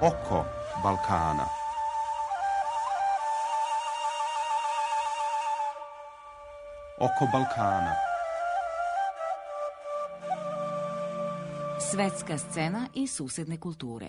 Oko Balkana. Oko Balkana. Svetska scena i susedne kulture.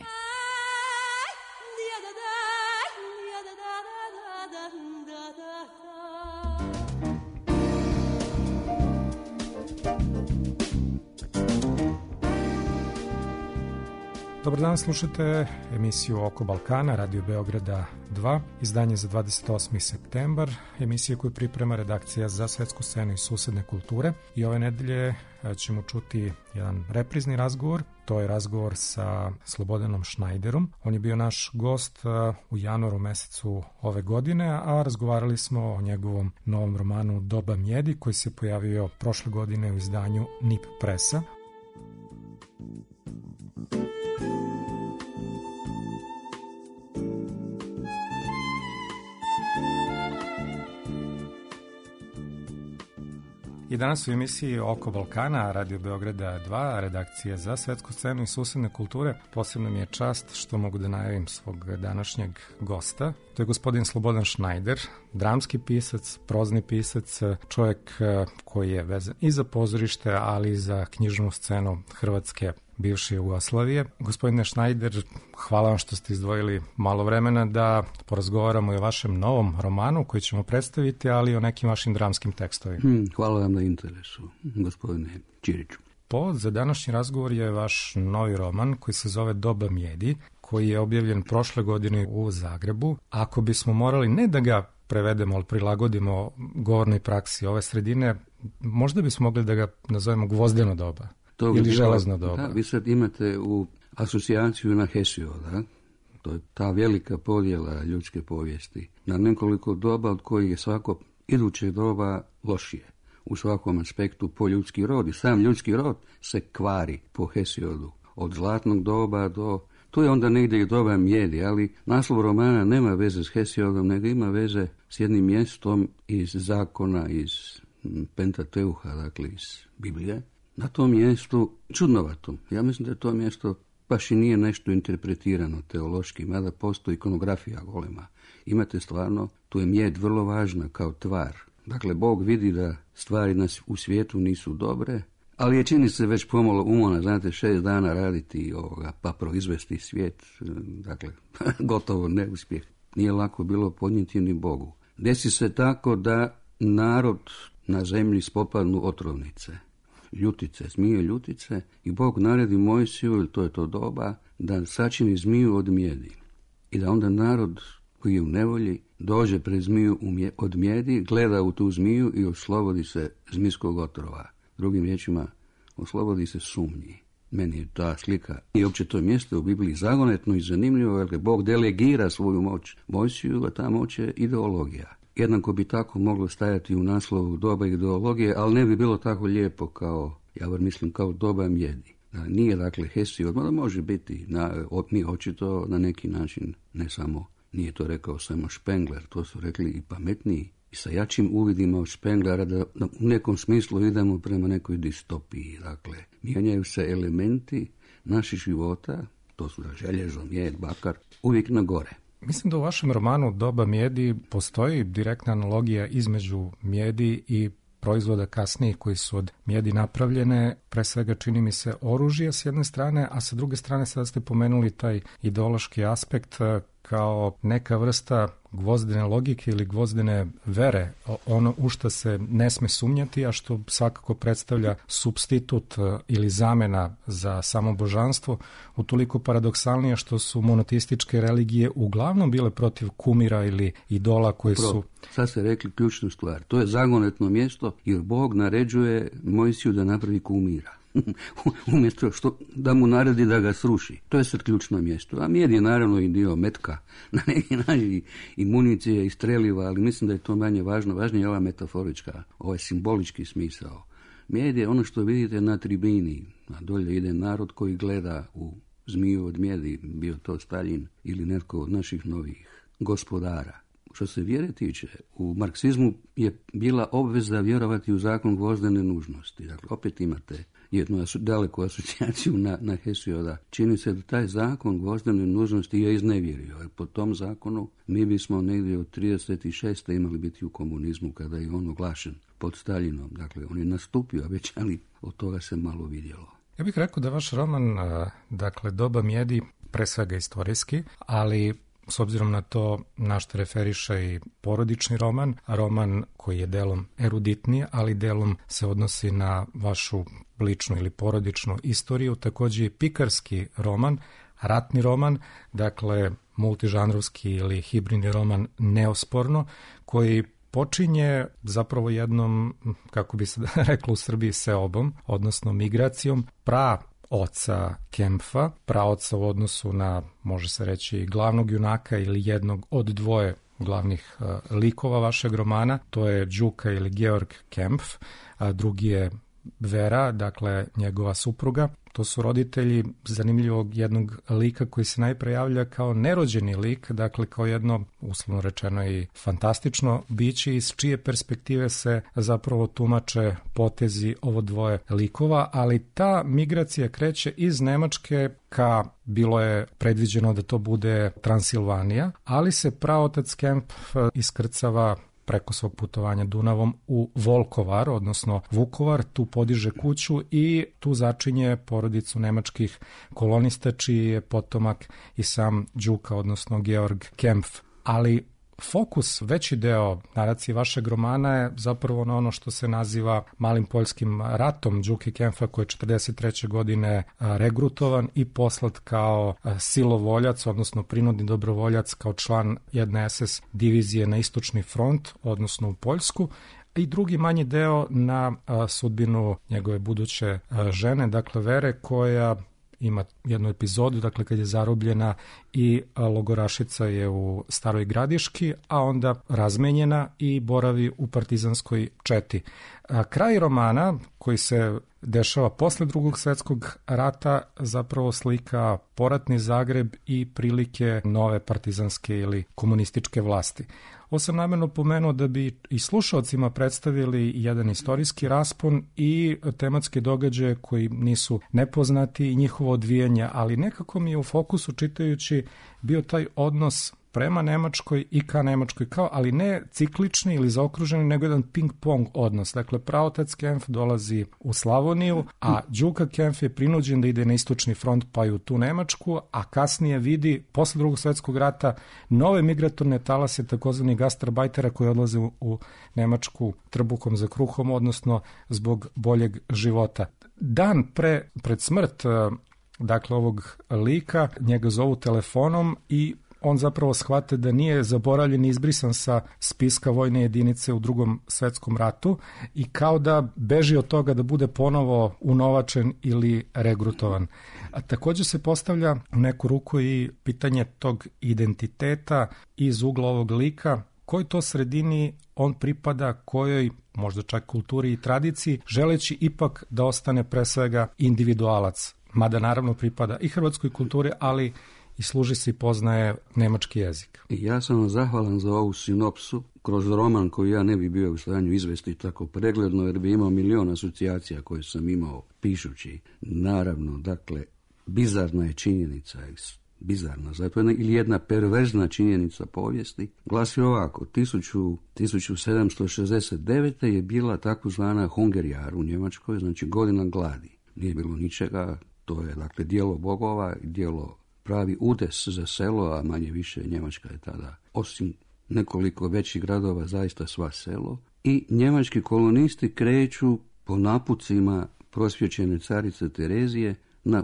Dobar dan, slušate emisiju Oko Balkana, Radio Beograda 2, izdanje za 28. septembar, emisija koju priprema redakcija za svetsku scenu i susedne kulture. I ove nedelje ćemo čuti jedan reprizni razgovor, to je razgovor sa Slobodanom Šnajderom. On je bio naš gost u januaru mesecu ove godine, a razgovarali smo o njegovom novom romanu Doba mjedi, koji se pojavio prošle godine u izdanju NIP Presa. I danas u emisiji Oko Balkana, Radio Beograda 2, redakcija za svetsku scenu i susedne kulture. Posebno mi je čast što mogu da najavim svog današnjeg gosta. To je gospodin Slobodan Šnajder, dramski pisac, prozni pisac, čovjek koji je vezan i za pozorište, ali i za knjižnu scenu Hrvatske bivše Jugoslavije. Gospodine Šnajder, hvala vam što ste izdvojili malo vremena da porazgovaramo i o vašem novom romanu koji ćemo predstaviti, ali i o nekim vašim dramskim tekstovima. Hvala vam na interesu, gospodine Ćiriću. Povod za današnji razgovor je vaš novi roman koji se zove Doba mjedi, koji je objavljen prošle godine u Zagrebu. Ako bismo morali ne da ga prevedemo, ali prilagodimo govornoj praksi ove sredine, možda bismo mogli da ga nazovemo gvozdeno doba. Ili železno doba. Da, vi sad imate u asocijaciju na Hesioda, to je ta velika podjela ljudske povijesti, na nekoliko doba od kojih je svako iduće doba lošije. U svakom aspektu po ljudski rod i sam ljudski rod se kvari po Hesiodu. Od zlatnog doba do... Tu je onda negdje i doba mjedi, ali naslov romana nema veze s Hesiodom, nego ima veze s jednim mjestom iz zakona, iz Pentateuha, dakle iz Biblije. Na tom mjestu, čudnovatom, ja mislim da je to mjesto baš i nije nešto interpretirano teološki, mada postoji ikonografija golema. Imate stvarno, tu je mjed vrlo važna kao tvar. Dakle, Bog vidi da stvari u svijetu nisu dobre, ali je čini se već pomalo umona, znate, 6 dana raditi pa proizvesti svijet, dakle, gotovo neuspjeh. Nije lako bilo podnijeti ni Bogu. Desi se tako da narod na zemlji spopadnu otrovnice. Ljutice, zmije ljutice, i Bog naredi Mojsiju, to je to doba, da sačini zmiju od mjedi. I da onda narod koji je u nevolji dođe pred zmiju od mjedi, gleda u tu zmiju i oslobodi se zmijskog otrova. Drugim riječima, oslobodi se sumnji. Meni je ta slika i uopće to mjesto u Bibliji zagonetno i zanimljivo, jer Bog delegira svoju moć Mojsiju, a ta moć je ideologija. Jednako bi tako moglo stajati u naslovu doba ideologije, ali ne bi bilo tako lijepo kao, ja mislim, kao doba mjedi. Nije dakle Hesiod, mada može biti, mi očito na neki način, ne samo, nije to rekao samo Špengler, to su rekli i pametniji i sa jačim uvidima od Špenglera, da u nekom smislu idemo prema nekoj distopiji. Dakle, mijenjaju se elementi naših života, to su željezo, mjed, bakar, uvijek na gore. Mislim da u vašem romanu Doba mjedi postoji direktna analogija između mjedi i proizvoda kasnije koji su od mjedi napravljene, pre svega čini mi se oružje s jedne strane, a sa druge strane sada ste pomenuli taj ideološki aspekt kao neka vrsta gvozdene logike ili gvozdene vere, ono u što se ne sme sumnjati, a što svakako predstavlja supstitut ili zamena za samo božanstvo, utoliko paradoksalnije što su monoteističke religije uglavnom bile protiv kumira ili idola koji su... Sad ste rekli ključnu stvar, to je zagonetno mjesto jer Bog naređuje Mojsiju da napravi kumira. Umjesto da mu naredi da ga sruši. To je sad ključno mjesto. A mjed je naravno i dio metka, na neki način i municije i streliva, ali mislim da je to manje važno. Važnije je ova metaforička, ovaj simbolički smisao. Mjed je ono što vidite na tribini, a dolje ide narod koji gleda u zmiju od mjedi, bio to Staljin ili netko od naših novih gospodara. Što se vjere tiče, u marksizmu je bila obveza vjerovati u zakon gvozdene nužnosti. Dakle, opet imate jednu daleku asocijaciju na Hesioda. Čini se da taj zakon gvozdene nužnosti je iznevjerio, jer po tom zakonu mi bismo negdje od 36. imali biti u komunizmu kada je on oglašen pod Staljinom. Dakle, on je nastupio već, ali od toga se malo vidjelo. Ja bih rekao da vaš roman, dakle, Doba mijedi, pre svega istorijski, ali s obzirom na to na što referiše i porodični roman koji je delom eruditniji, ali delom se odnosi na vašu ličnu ili porodičnu istoriju, također je pikarski roman, ratni roman, dakle multižanrovski ili hibridni roman neosporno, koji počinje zapravo jednom, kako bi se reklo u Srbiji, seobom, odnosno migracijom praoca Kempfa, praoca u odnosu na, može se reći, glavnog junaka ili jednog od dvoje glavnih likova vašeg romana, to je Đuka ili Georg Kempf, a drugi je Vera, dakle njegova supruga. To su roditelji zanimljivog jednog lika koji se najpre javlja kao nerođeni lik, dakle kao jedno, uslovno rečeno, i fantastično biće iz čije perspektive se zapravo tumače potezi ovo dvoje likova, ali ta migracija kreće iz Nemačke ka, bilo je predviđeno da to bude Transilvanija, ali se praotac Kempf iskrcava preko svog putovanja Dunavom u Volkovar, odnosno Vukovar, tu podiže kuću i tu začinje porodicu nemačkih kolonista, čiji je potomak i sam Đuka, odnosno Georg Kempf. Ali fokus, veći deo naracije vašeg romana je zapravo na ono što se naziva Malim poljskim ratom Đuke Kempfa, koji je 1943. godine regrutovan i poslat kao silovoljac, odnosno prinudni dobrovoljac, kao član jedne SS divizije na istočni front, odnosno u Poljsku, i drugi manji deo na sudbinu njegove buduće žene, dakle Vere, koja ima jednu epizodu, dakle kad je zarobljena i logorašica je u Staroj Gradiški, a onda razmenjena i boravi u partizanskoj četi. Kraj romana, koji se dešava posle Drugog svjetskog rata, zapravo slika poratni Zagreb i prilike nove partizanske ili komunističke vlasti. Ovo sam namjerno pomenuo da bi i slušalcima predstavili jedan istorijski raspon i tematske događaje koji nisu nepoznati i njihovo odvijanje, ali nekako mi je u fokusu čitajući bio taj odnos prema Nemačkoj i ka Nemačkoj, kao, ali ne ciklični ili zaokruženi, nego jedan ping-pong odnos. Dakle, praotac Kempf dolazi u Slavoniju, a Đuka Kempf je prinuđen da ide na istočni front pa i u tu Nemačku, a kasnije vidi, posle Drugog svjetskog rata, nove migratorne talase, takozvani gastarbajtera, koji odlaze u Nemačku trbukom za kruhom, odnosno zbog boljeg života. Dan pred smrt, dakle, ovog lika, njega zovu telefonom i on zapravo shvate da nije zaboravljen i izbrisan sa spiska vojne jedinice u Drugom svjetskom ratu i kao da beži od toga da bude ponovo unovačen ili regrutovan. A također se postavlja u neku ruku i pitanje tog identiteta iz ugla ovog lika, kojoj to sredini on pripada, kojoj možda čak kulturi i tradiciji, želeći ipak da ostane pre svega individualac, mada naravno pripada i hrvatskoj kulturi, ali i služi se i poznaje nemački jezik. Ja sam vam zahvalan za ovu sinopsu kroz roman koji ja ne bi bio u stanju izvesti tako pregledno, jer bi imao milion asocijacija koje sam imao pišući. Naravno, dakle, bizarna je činjenica, bizarna, zato ili jedna perverzna činjenica povijesti, glasi ovako: 1769. je bila takozvana Hungerjahr u Njemačkoj, znači godina gladi. Nije bilo ničega, to je dakle dijelo bogova, dijelo pravi udes za selo, a manje više Njemačka je tada, osim nekoliko većih gradova, zaista sva selo. I njemački kolonisti kreću po napucima prosvjećene carice Terezije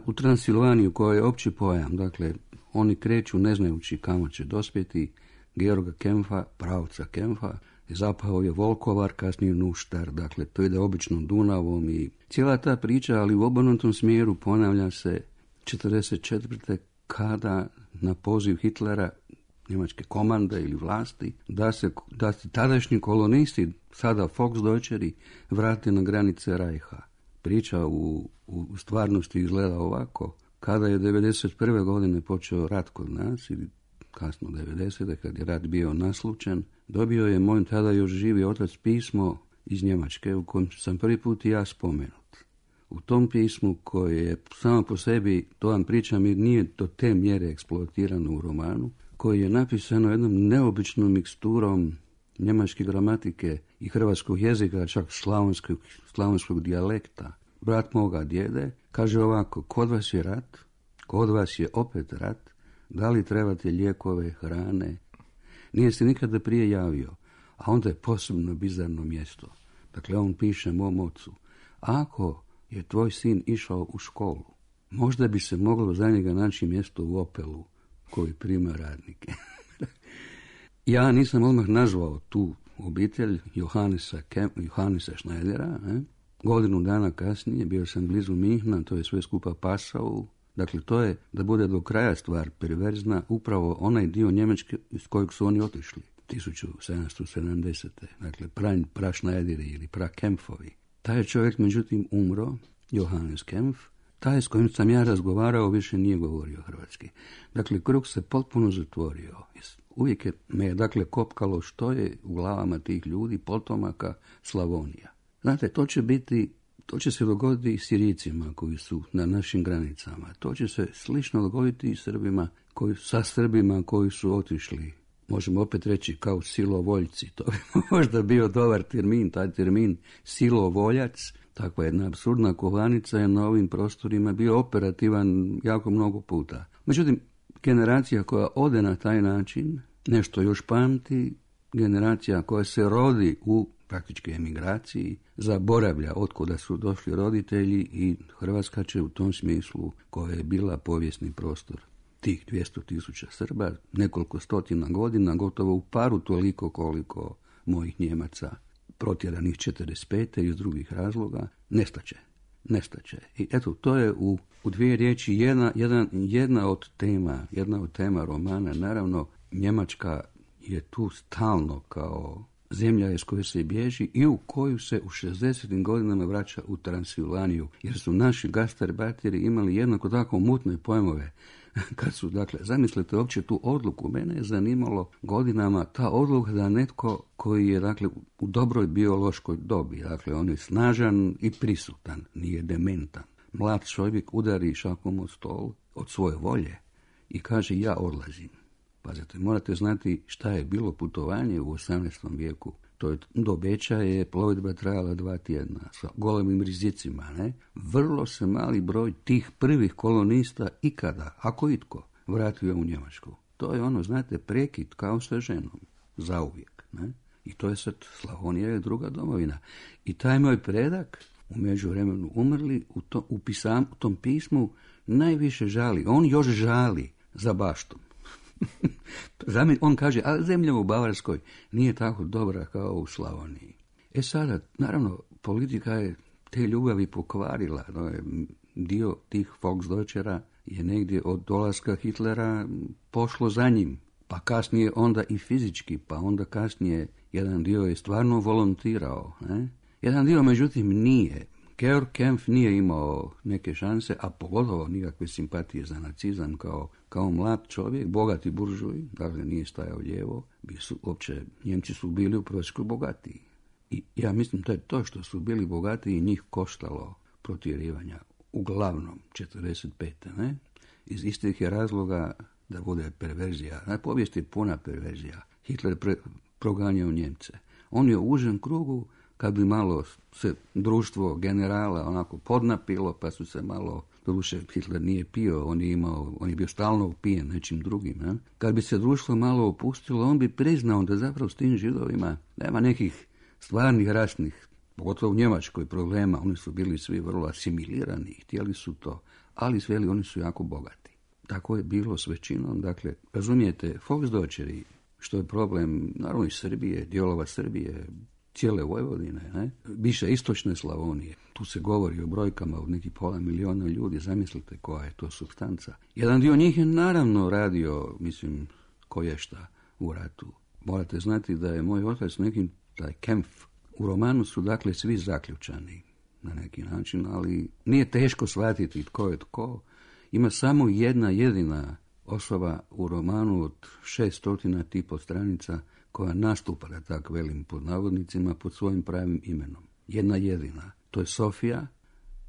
u Transilvaniju, koja je opći pojam. Dakle, oni kreću ne znajući kamo će dospjeti. Georga Kempfa, pravca Kempfa, zapao je Volkovar, kasnije Nuštar, dakle to ide običnom Dunavom i cijela ta priča, ali u obrnutom smjeru ponavlja se 1944. kada na poziv Hitlera, njemačke komande ili vlasti, da se tadašnji kolonisti, sada Volksdeutscheri, vrate na granice Reicha. Priča u stvarnosti izgleda ovako: kada je 1991. godine počeo rat kod nas, ili kasno 90. kad je rat bio naslučen, dobio je moj tada još živi otac pismo iz Njemačke u kojem sam prvi put i ja spomenut. u tom pismu koje je samo po sebi, to vam pričam jer nije do te mjere eksploatirano u romanu, koji je napisano jednom neobičnom miksturom njemačke gramatike i hrvatskog jezika, čak slavonskog dijalekta. Brat moga djede kaže ovako: kod vas je rat, kod vas je opet rat, da li trebate lijekove, hrane? Nije se nikada prije javio, a onda je posebno bizarno mjesto. Dakle, on piše mom ocu: ako je tvoj sin išao u školu, možda bi se moglo za njega naći mjesto u Opelu koji prima radnike. Ja nisam odmah nazvao tu obitelj Johannesa Schneidera. Godinu dana kasnije bio sam blizu Minhna, to je sve skupa Passau. Dakle, to je, da bude do kraja stvar perverzna, upravo onaj dio Njemačke iz kojeg su oni otišli 1770. Dakle, Praschneideri ili Prakempfovi. Taj je čovjek, međutim, umro, Johannes Kempf. Taj s kojim sam ja razgovarao više nije govorio hrvatski. Dakle, krug se potpuno zatvorio. Uvijek me je, dakle, kopkalo što je u glavama tih ljudi, potomaka Slavonija. Znate, to će se dogoditi i Sirijcima koji su na našim granicama. To će se slično dogoditi i sa Srbima koji su otišli. Možemo opet reći kao silovoljci. To bi možda bio dobar termin, taj termin silovoljac. Takva jedna apsurdna kovanica je na ovim prostorima bio operativan jako mnogo puta. Međutim, generacija koja ode na taj način nešto još pamti, generacija koja se rodi u praktički emigraciji, zaboravlja otkuda su došli roditelji i Hrvatska će u tom smislu, koja je bila povijesni prostor tih 200.000 Srba, nekoliko stotina godina, gotovo u paru toliko koliko mojih Njemaca, protjeranih 45. iz drugih razloga, nestaće. I eto, to je u dvije riječi jedna od tema romana. Naravno, Njemačka je tu stalno kao zemlja iz koje se bježi i u koju se u 60. godinama vraća u Transilvaniju, jer su naši gastarbeiteri imali jednako tako mutne pojmove. Kad su, dakle, zamislite uopće tu odluku, mene je zanimalo godinama ta odluka da netko koji je, dakle, u dobroj biološkoj dobi, dakle, on je snažan i prisutan, nije dementan. Mlad čovjek udari šakom od stol od svoje volje i kaže: ja odlazim. Pazite, morate znati šta je bilo putovanje u 18. vijeku. To je, do Beča je plovidba trajala 2 tjedna sa golemim rizicima, ne? Vrlo se mali broj tih prvih kolonista ikada, ako itko, vratio u Njemačku. To je ono, znate, prekid kao sa ženom, zauvijek, ne? I to je sad, Slavonija je druga domovina. I taj moj predak, u međuvremenu umrli, u tom pismu najviše žali. On još žali za baštom. On kaže: a zemlja u Bavarskoj nije tako dobra kao u Slavoniji. Sada, naravno, politika je te ljubavi pokvarila. No, dio tih Volksdeutschera je negdje od dolaska Hitlera pošlo za njim, pa kasnije onda i fizički, pa onda kasnije jedan dio je stvarno volontirao. Ne? Jedan dio, međutim, nije. Georg Kempf nije imao neke šanse, a pogotovo nikakve simpatije za nacizam kao mlad čovjek, bogati buržuj, dakle nije stajao lijevo, Njemci su bili u prosjeku bogatiji. I ja mislim da je to što su bili bogatiji njih koštalo protjerivanja, uglavnom 45. Ne? Iz istih je razloga da bude perverzija. Povijest je puna perverzija. Hitler proganjao Njemce. On je u užem krugu, kad bi malo se društvo generala onako podnapilo, pa su se malo, doduše Hitler nije pio, on je bio stalno upijen nečim drugim. Ne? Kad bi se društvo malo opustilo, on bi priznao da zapravo s tim Židovima nema nekih stvarnih rasnih, pogotovo u Njemačkoj, problema. Oni su bili svi vrlo asimilirani, htjeli su to, ali sveli oni su jako bogati. Tako je bilo s većinom. Dakle, razumijete, Volksdeutscheri, što je problem, naravno i Srbije, dijelova Srbije, cijele Vojvodine, ne? Više istočne Slavonije. Tu se govori o brojkama od nekih 500.000 ljudi. Zamislite koja je to supstanca. Jedan dio njih je naravno radio, mislim, koješta u ratu. Morate znati da je moj otac nekim, taj Kempf, u romanu su dakle svi zaključani na neki način, ali nije teško shvatiti tko je tko. Ima samo jedna jedina osoba u romanu od 600 tipo stranica koja nastupa, da tak velim pod navodnicima, pod svojim pravim imenom. Jedna jedina. To je Sofija,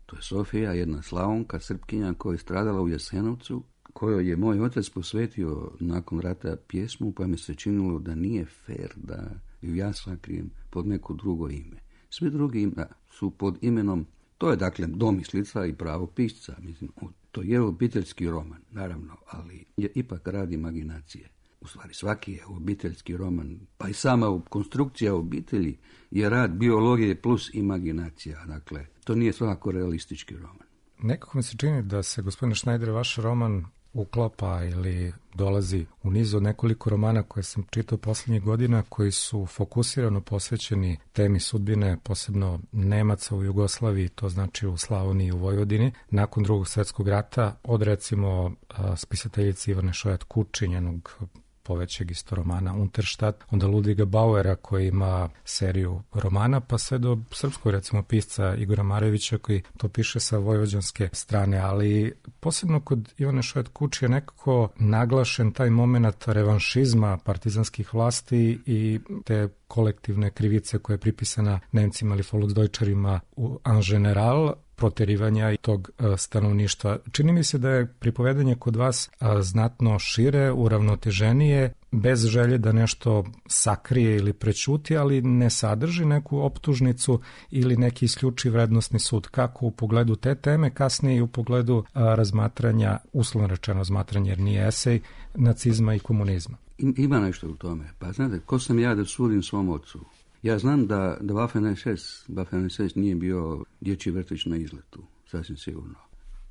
To je Sofija, jedna Slavonka, Srpkinja koja je stradala u Jasenovcu, kojoj je moj otac posvetio nakon rata pjesmu, pa mi se činilo da nije fair da ju ja sakrijem pod neko drugo ime. Svi drugi ima su pod imenom, to je dakle domislica i pravo pisca, mislim, to je obiteljski roman, naravno, ali je ipak rad imaginacije. U stvari svaki je obiteljski roman, pa i sama konstrukcija obitelji je rad biologije plus imaginacija, dakle, to nije svakako realistički roman. Nekako mi se čini da se, gospodine Schneider, vaš roman uklapa ili dolazi u niz od nekoliko romana koje sam čitao posljednjih godina, koji su fokusirano posvećeni temi sudbine, posebno Nemaca u Jugoslaviji, to znači u Slavoniji i u Vojvodini, nakon Drugog svjetskog rata, od recimo spisateljice Ivane Šojat Kuči, njenog povećeg isto romana Unterstadt, onda Ludviga Bauera koji ima seriju romana, pa sve do srpskog recimo pisca Igora Marevića koji to piše sa vojvođanske strane, ali posebno kod Ivane Šojat Kuči je nekako naglašen taj moment revanšizma partizanskih vlasti i te kolektivne krivice koja je pripisana Nemcima ili Volksdeutscherima en general, proterivanja i tog stanovništva. Čini mi se da je pripovedanje kod vas znatno šire, uravnoteženije, bez želje da nešto sakrije ili prećuti, ali ne sadrži neku optužnicu ili neki isključiv vrednosni sud. Kako u pogledu te teme, kasnije i u pogledu razmatranja, uslovno rečeno razmatranja, jer nije esej, nacizma i komunizma. Ima nešto u tome. Pa znate, ko sam ja da sudim svom ocu? Ja znam da Waffen-SS nije bio dječji vrtić na izletu, sasvim sigurno.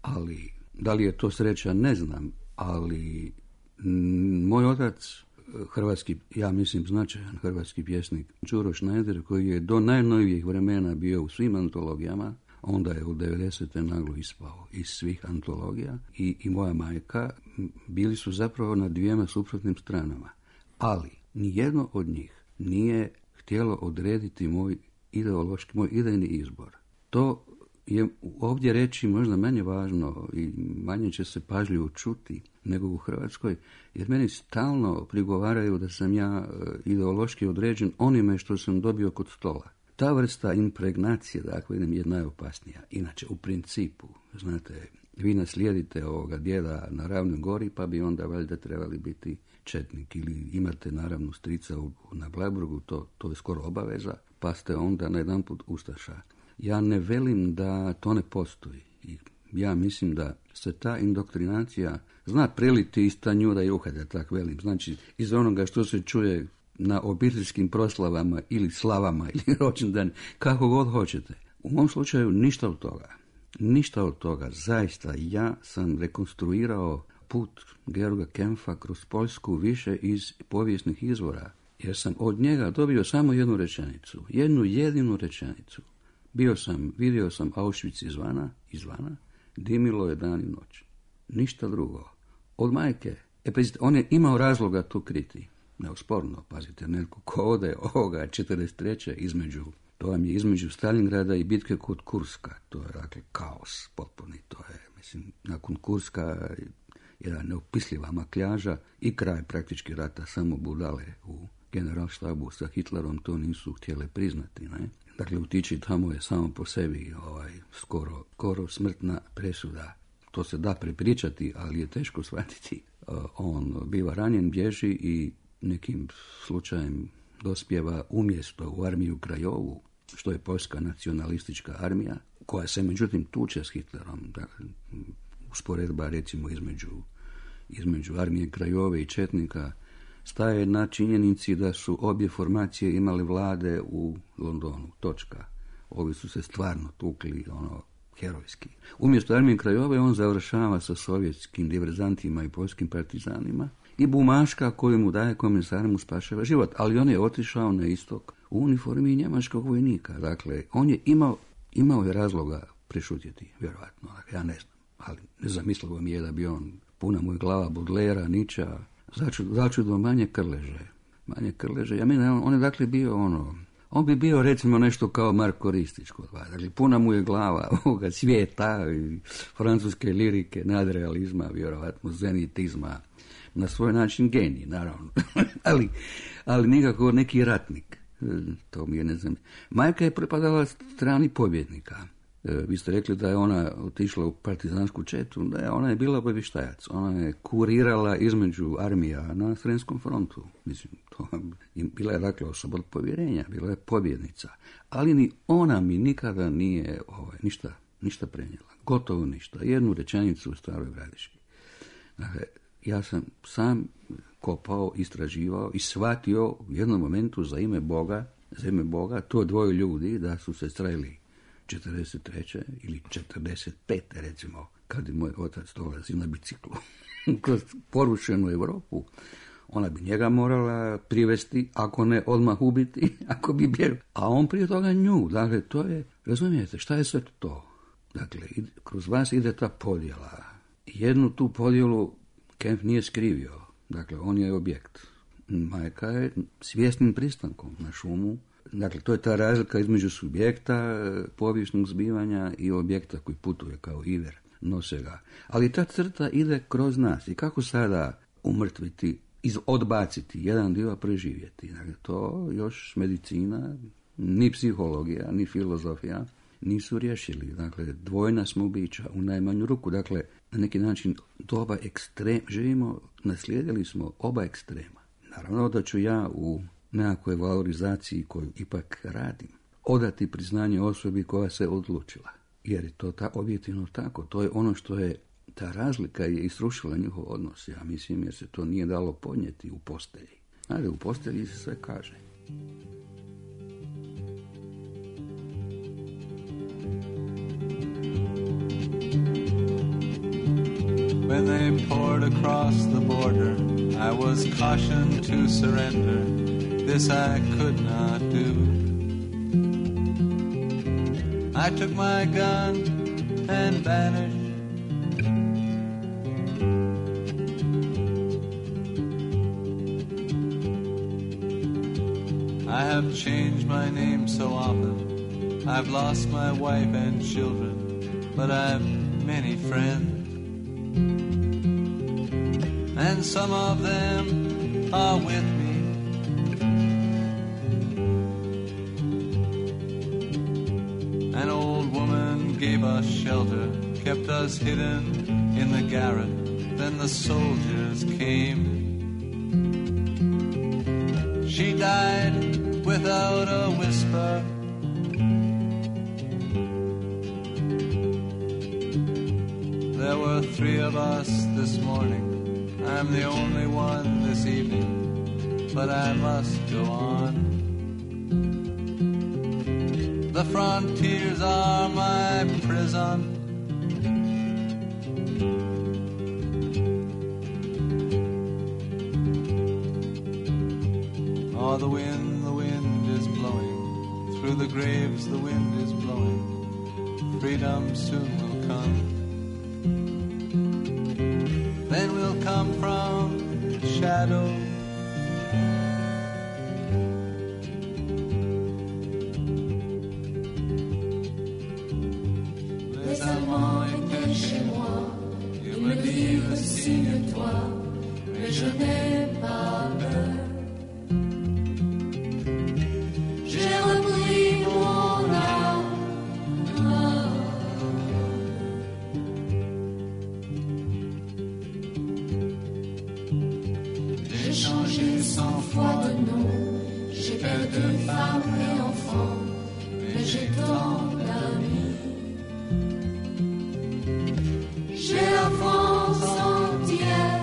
Ali, da li je to sreća, ne znam, ali moj otac, hrvatski, ja mislim značajan hrvatski pjesnik, Đuro Schneider, koji je do najnovijih vremena bio u svim antologijama, onda je u 90. naglo ispao iz svih antologija i moja majka, bili su zapravo na dvijema suprotnim stranama. Ali, nijedno od njih nije htjelo odrediti moj idejni izbor. To je ovdje reći možda manje važno i manje će se pažljivo čuti nego u Hrvatskoj, jer meni stalno prigovaraju da sam ja ideološki određen onime što sam dobio kod stola. Ta vrsta impregnacije, dakle, je najopasnija. Inače, u principu, znate, vi naslijedite ovoga djeda na Ravnoj gori, pa bi onda valjda trebali biti četnik, ili imate naravno strica na Bleiburgu, to je skoro obaveza, pa ste onda na jedan put ustaša. Ja ne velim da to ne postoji. Ja mislim da se ta indoktrinacija zna preliti iz tanjura i uhada, tako velim. Znači, iz onoga što se čuje na obiteljskim proslavama ili slavama ili rođendan, kako god hoćete. U mom slučaju ništa od toga. Ništa od toga. Zaista, ja sam rekonstruirao put Georga Kempfa kroz Poljsku više iz povijesnih izvora, jer sam od njega dobio samo jednu rečenicu, jednu jedinu rečenicu. Vidio sam Auschwitz izvana, dimilo je dan i noć. Ništa drugo. Od majke. Pazite, on je imao razloga to kriti. Neosporno, pazite, netko ko ode ovoga 43. To vam je između Stalingrada i bitke kod Kurska. To je, dakle, kaos potpuni. To je, mislim, nakon Kurska jedna neopisljiva makljaža i kraj praktički rata, samo budale u generalštabu sa Hitlerom to nisu htjele priznati, ne? Dakle, otići tamo je samo po sebi skoro smrtna presuda. To se da prepričati, ali je teško shvatiti. On biva ranjen, bježi i nekim slučajem dospijeva umjesto u armiju Krajovu, što je poljska nacionalistička armija, koja se međutim tuče s Hitlerom. Dakle, usporedba recimo između armije Krajove i četnika staje na činjenici da su obje formacije imale vlade u Londonu. Točka. Ovi su se stvarno tukli, herojski. Umjesto armije Krajove on završava sa sovjetskim diverzantima i poljskim partizanima i bumaška koju mu daje komisar mu spašava život. Ali on je otišao na istok u uniformi njemačkog vojnika. Dakle, on je imao je razloga prešutjeti, vjerojatno. Dakle, ja ne znam, ali nezamislivo mi je da bi on, puna mu je glava Baudelaira, Nietzschea, začudo manje Krleže. Ja mislim, on je dakle bio on bi bio recimo nešto kao Marko Ristić kod vas. Dakle, puna mu je glava ovoga svijeta, francuske lirike, nadrealizma, vjerojatno zenitizma, na svoj način genij, naravno. ali nikako neki ratnik. To mi je, ne znam. Majka je pripadala strani pobjednika. Vi ste rekli da je ona otišla u partizansku četu, da je ona je bila obavještajac. Ona je kurirala između armija na Sremskom frontu. Mislim, bila je dakle osoba od povjerenja, bila je pobjednica. Ali ni ona mi nikada nije ništa prenijela. Gotovo ništa. Jednu rečenicu u Staroj Gradiški. Dakle, ja sam sam kopao, istraživao i shvatio u jednom momentu za ime Boga, to dvoje ljudi da su se sreli 43. ili 45. recimo, kad je moj otac dolazi na biciklu kroz porušenu Europu. Ona bi njega morala privesti, ako ne odmah ubiti, ako bi bjegao. A on prije toga nju. Dakle, to je, razumijete, šta je sve to? Dakle, kroz vas ide ta podjela. Jednu tu podjelu Kempf nije skrivio. Dakle, on je objekt. Majka je svjesnim pristankom na šumu. Dakle, to je ta razlika između subjekta povijesnog zbivanja i objekta koji putuje kao iver, nose ga. Ali ta crta ide kroz nas. I kako sada umrtviti, odbaciti jedan dio, preživjeti? Dakle, to još medicina, ni psihologija, ni filozofija nisu riješili. Dakle, dvojna smo bića u najmanju ruku. Dakle, na neki način doba živimo, naslijedili smo oba ekstrema. Naravno da ću ja u nekakvoj valorizaciji koju ipak radim odati priznanje osobi koja se odlučila. Jer je to objektivno tako. To je ono što je, ta razlika je isrušila njihov odnos. Ja mislim, jer se to nije dalo podnijeti u postelji. Ali u postelji se sve kaže. When they poured across the border, I was cautioned to surrender. This I could not do. I took my gun and vanished. I have changed my name so often. I've lost my wife and children, but I've many friends. And some of them are with me. An old woman gave us shelter, kept us hidden in the garret. Then the soldiers came. She died without a whisper. There were 3 of us this morning. I'm the only one this evening, but I must go on. The frontiers are my prison. Oh, the wind is blowing. Through the graves the wind is blowing. Freedom soon will come. Then we'll come from shadow. Les Allemands étaient chez moi. Ils me dirent signe-toi, mais je n'ai pas peur. J'ai repris mon âme. J'ai changé 100 fois de nom. J'ai perdu femme et enfant, mais j'ai tant d'amis. J'ai la France entière.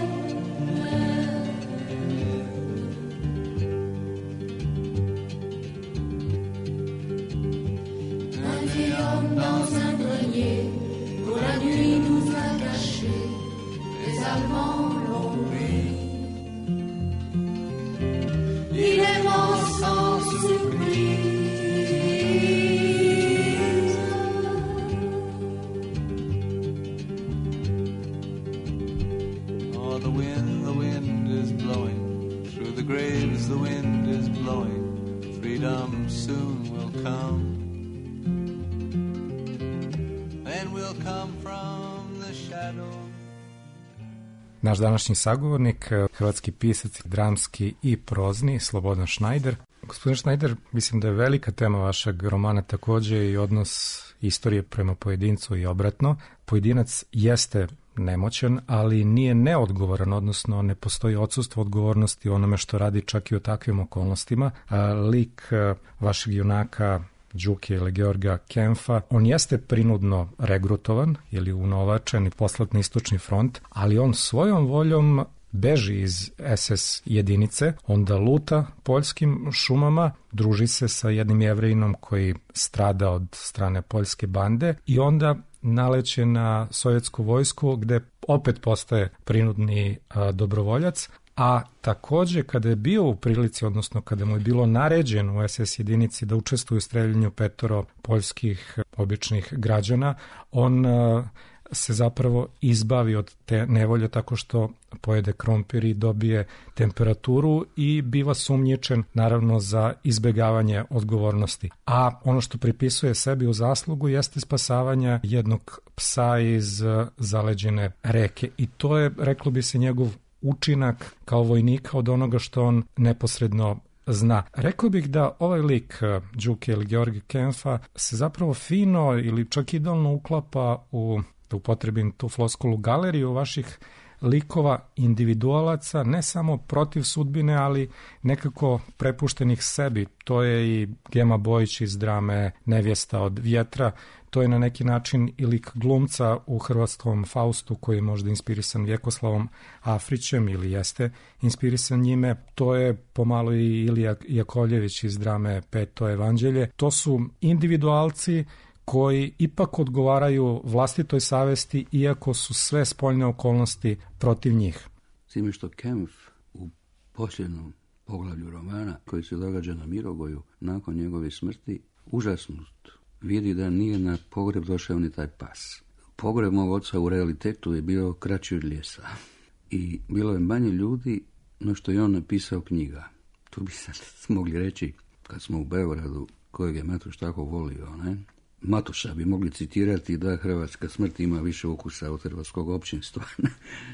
Un vieil homme dans un grenier, pour la nuit nous a cachés. Les Allemands l'ont pris. Il est mort sans surprise. Oh, the wind is blowing. Through the graves the wind is blowing. Freedom soon will come. Then we'll come from the shadow. Naš današnji sagovornik, hrvatski pisac, dramski i prozni, Slobodan Šnajder, Gospodin Schneider, mislim da je velika tema vašeg romana takođe i odnos istorije prema pojedincu i obratno. Pojedinac jeste nemoćan, ali nije neodgovoran, odnosno ne postoji odsustvo odgovornosti u onome što radi čak i u takvim okolnostima. Lik vašeg junaka Đuke ili Georga Kempfa, on jeste prinudno regrutovan ili unovačen i poslat na istočni front, ali on svojom voljom beži iz SS jedinice, onda luta poljskim šumama, druži se sa jednim Jevrejinom koji strada od strane poljske bande i onda naleće na sovjetsku vojsku gde opet postaje prinudni dobrovoljac, a takođe kada je bio u prilici, odnosno kada mu je bilo naređeno u SS jedinici da učestvuje u streljanju 5 poljskih običnih građana, on se zapravo izbavi od te nevolje tako što pojede krompir i dobije temperaturu i biva sumnjičen naravno za izbegavanje odgovornosti. A ono što pripisuje sebi u zaslugu jeste spasavanje jednog psa iz zaleđene reke i to je, reklo bi se, njegov učinak kao vojnika od onoga što on neposredno zna. Rekao bih da ovaj lik Đuke ili Georga Kempfa se zapravo fino ili čak idealno uklapa u, da upotrebim tu floskulu, galeriju vaših likova individualaca, ne samo protiv sudbine, ali nekako prepuštenih sebi. To je i Gema Bojić iz drame Nevjesta od vjetra, to je na neki način i lik glumca u hrvatskom Faustu koji je možda inspirisan Vjekoslavom Afrićem ili jeste inspirisan njime. To je pomalo i Ilija Jakovljević iz drame Peto evanđelje. To su individualci koji ipak odgovaraju vlastitoj savesti iako su sve spoljne okolnosti protiv njih. S time što Kempf u posljednom poglavlju romana koji se događa na Mirogoju nakon njegove smrti užasnut vidi da nije na pogreb došao ni taj pas. Pogreb mog oca u realitetu je bio kraći od ljesa i bilo je manje ljudi no što je on napisao knjiga. Tu bi sad mogli reći, kad smo u Beogradu, kojeg je Matuš tako volio, ne? Matuša bi mogli citirati da hrvatska smrt ima više ukusa od hrvatskog općinstva.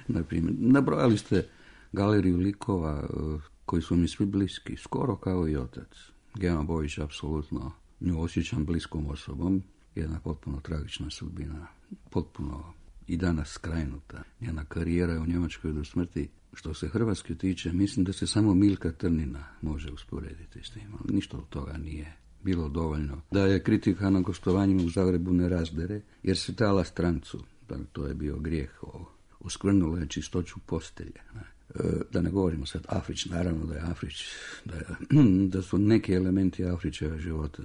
Naprimjer, nabrojali ste galeriju likova koji su mi svi bliski, skoro kao i otac. Gema Bojić, apsolutno, nju osjećam bliskom osobom, jedna potpuno tragična sudbina, potpuno i danas skrajnuta. Njena karijera je u Njemačkoj do smrti. Što se Hrvatske tiče, mislim da se samo Milka Trnina može usporediti s tim, ali ništa od toga nije bilo dovoljno. Da je kritika na gostovanjima u Zagrebu ne razdere, jer se tala strancu, to je bio grijeh, uskvrnulo je čistoću postelje. Da ne govorimo sad Afrić, naravno da je Afrić, da su neki elementi Afrićeva života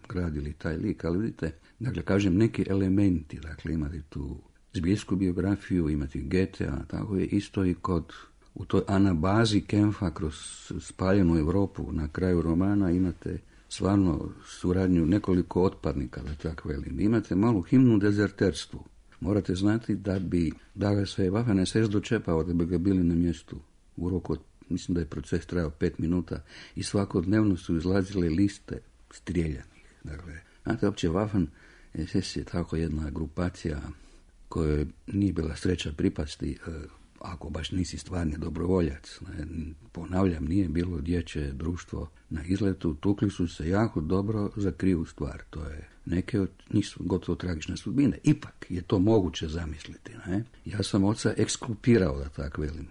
gradili taj lik, ali vidite, dakle, kažem neki elementi, dakle, imate tu zbijesku biografiju, imate Goethea, tako je isto i kod, u toj anabazi Kempfa kroz spaljenu Europu na kraju romana imate stvarno suradnju nekoliko otpadnika, da tako velim. Imate malu himnu dezerterstvu. Morate znati da bi ga se Waffen SS dočepao, da bi ga bili na mjestu u roku, mislim da je proces trajao 5 minuta i svakodnevno su izlazile liste strijeljanih. Dakle, znate, opće Waffen SS je tako jedna grupacija kojoj nije bila sreća pripasti, ako baš nisi stvarni dobrovoljac. Ponavljam, nije bilo dječje društvo na izletu, tukli su se jako dobro za krivu stvar. To je neke od njih su gotovo tragične sudbine. Ipak je to moguće zamisliti. Ne? Ja sam oca ekskulpirao, da tako velim.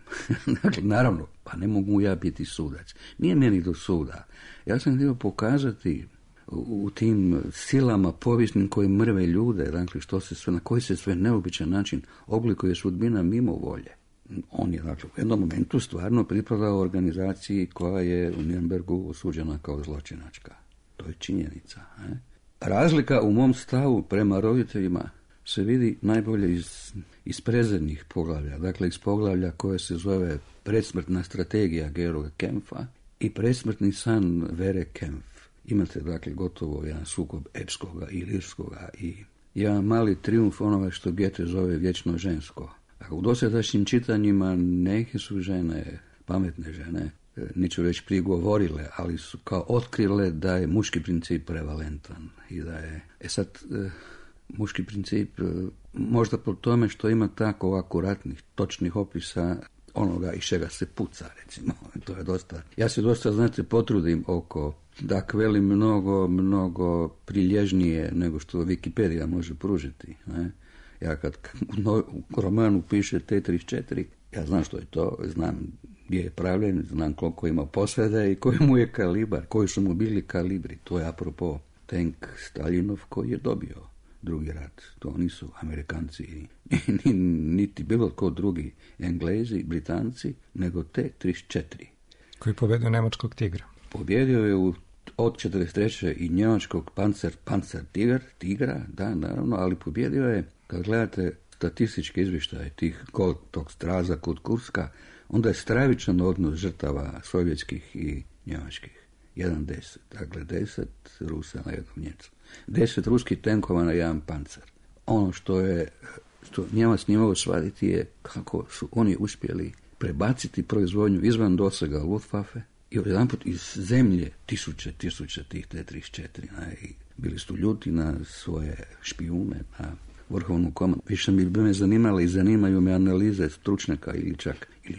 Dakle, naravno, pa ne mogu ja biti sudac. Nije meni do suda. Ja sam htio pokazati u tim silama povijesnim koje mrve ljude, dakle, što se sve, na koji se sve neobičan način oblikuje sudbina mimo volje. On je, dakle, u jednom momentu stvarno pripadao organizaciji koja je u Nürnbergu osuđena kao zločinačka. To je činjenica. Razlika u mom stavu prema roditeljima se vidi najbolje iz predzadnjih poglavlja, dakle iz poglavlja koje se zove Predsmrtna strategija Georga Kempfa i Predsmrtni san Vere Kempf. Imate, dakle, gotovo jedan sukob epskoga i lirskoga i jedan mali trijumf onoga što Goethe zove vječno žensko. Dakle, u dosadašnjim čitanjima neke su žene, pametne žene, neću reći prigovorile, ali su kao otkrile da je muški princip prevalentan i da je, muški princip možda po tome što ima tako akuratnih, točnih opisa onoga iz čega se puca, recimo. To je dosta. Ja se dosta, znate, potrudim oko, dakle, velim mnogo prilježnije nego što Wikipedia može pružiti. Ne? Ja kad u romanu piše T-34, ja znam što je to, znam gdje je pravljen, znam koliko ima posvede i koji mu je kalibar, koji su mu bili kalibri. To je apropo tank Staljinov koji je dobio drugi rat. To nisu Amerikanci, niti bilo tko drugi, Englezi, Britanci, nego T-34. Koji pobjedio nemačkog tigra. Pobjedio je od 43. i njemačkog Panzer tigra, da, naravno, ali pobjedio je, kad gledate statističke izvještaje tog straza kod Kurska, onda je stravičan odnos žrtava sovjetskih i njemačkih. 1:10, dakle 10 Rusa na jednog Njemca. 10 ruskih tenkova na jedan pancer. Ono što Njemac nije mogao shvatiti je kako su oni uspjeli prebaciti proizvodnju izvan dosega Luftwaffe i odjedanput iz zemlje tisuće tih T-34. I bili su ljuti na svoje špijune, na vrhovnu komandu. Više bi me zanimale i zanimaju me analize stručnjaka ili